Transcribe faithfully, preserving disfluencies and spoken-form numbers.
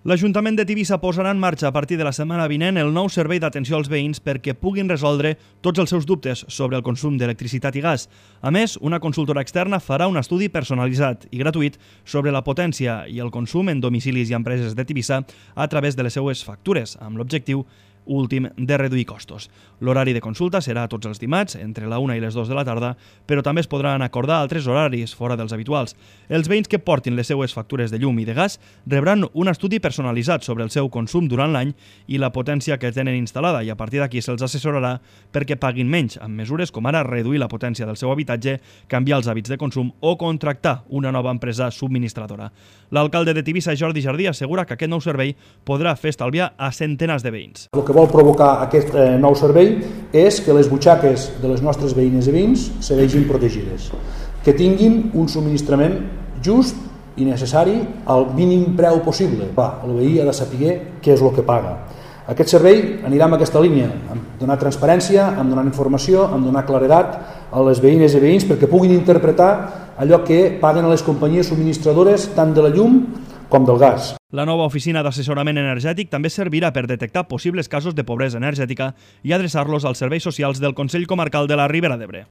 L'Ajuntament de Tivissa posarà en marxa a partir de la setmana vinent el nou servei d'atenció als veïns perquè puguin resoldre tots els seus dubtes sobre el consum d'electricitat i gas. A més, una consultora externa farà un estudi personalitzat i gratuït sobre la potència i el consum en domicilis i empreses de Tivissa a través de les seues factures, amb l'objectiu últim de reduir costos. L'horari de consulta serà tots els dimarts, entre la una i les dues de la tarda, però també es podran acordar altres horaris fora dels habituals. Els veïns que portin les seues factures de llum i de gas rebran un estudi personalitzat sobre el seu consum durant l'any i la potència que tenen instal·lada, i a partir d'aquí se'ls assessorarà perquè paguin menys, amb mesures com ara reduir la potència del seu habitatge, canviar els hàbits de consum o contractar una nova empresa subministradora. L'alcalde de Tivissa, Jordi Jardí, assegura que aquest nou servei podrà fer estalviar a centenars de veïns. El que vol provocar aquest eh, nou servei és que les butxaques de les nostres veïnes i veïns se vegin protegides, que tinguin un subministrament just i necessari al mínim preu possible. Va, el veí ha de saber què és el que paga. Aquest servei anirà en aquesta línia, amb donar transparència, amb donar informació, amb donar claredat a les veïnes i veïns perquè puguin interpretar allò que paguen a les companyies subministradores tant de la llum com del gas. La nova oficina d'assessorament energètic també servirà per detectar possibles casos de pobresa energètica i adreçar-los als serveis socials del Consell Comarcal de la Ribera d'Ebre.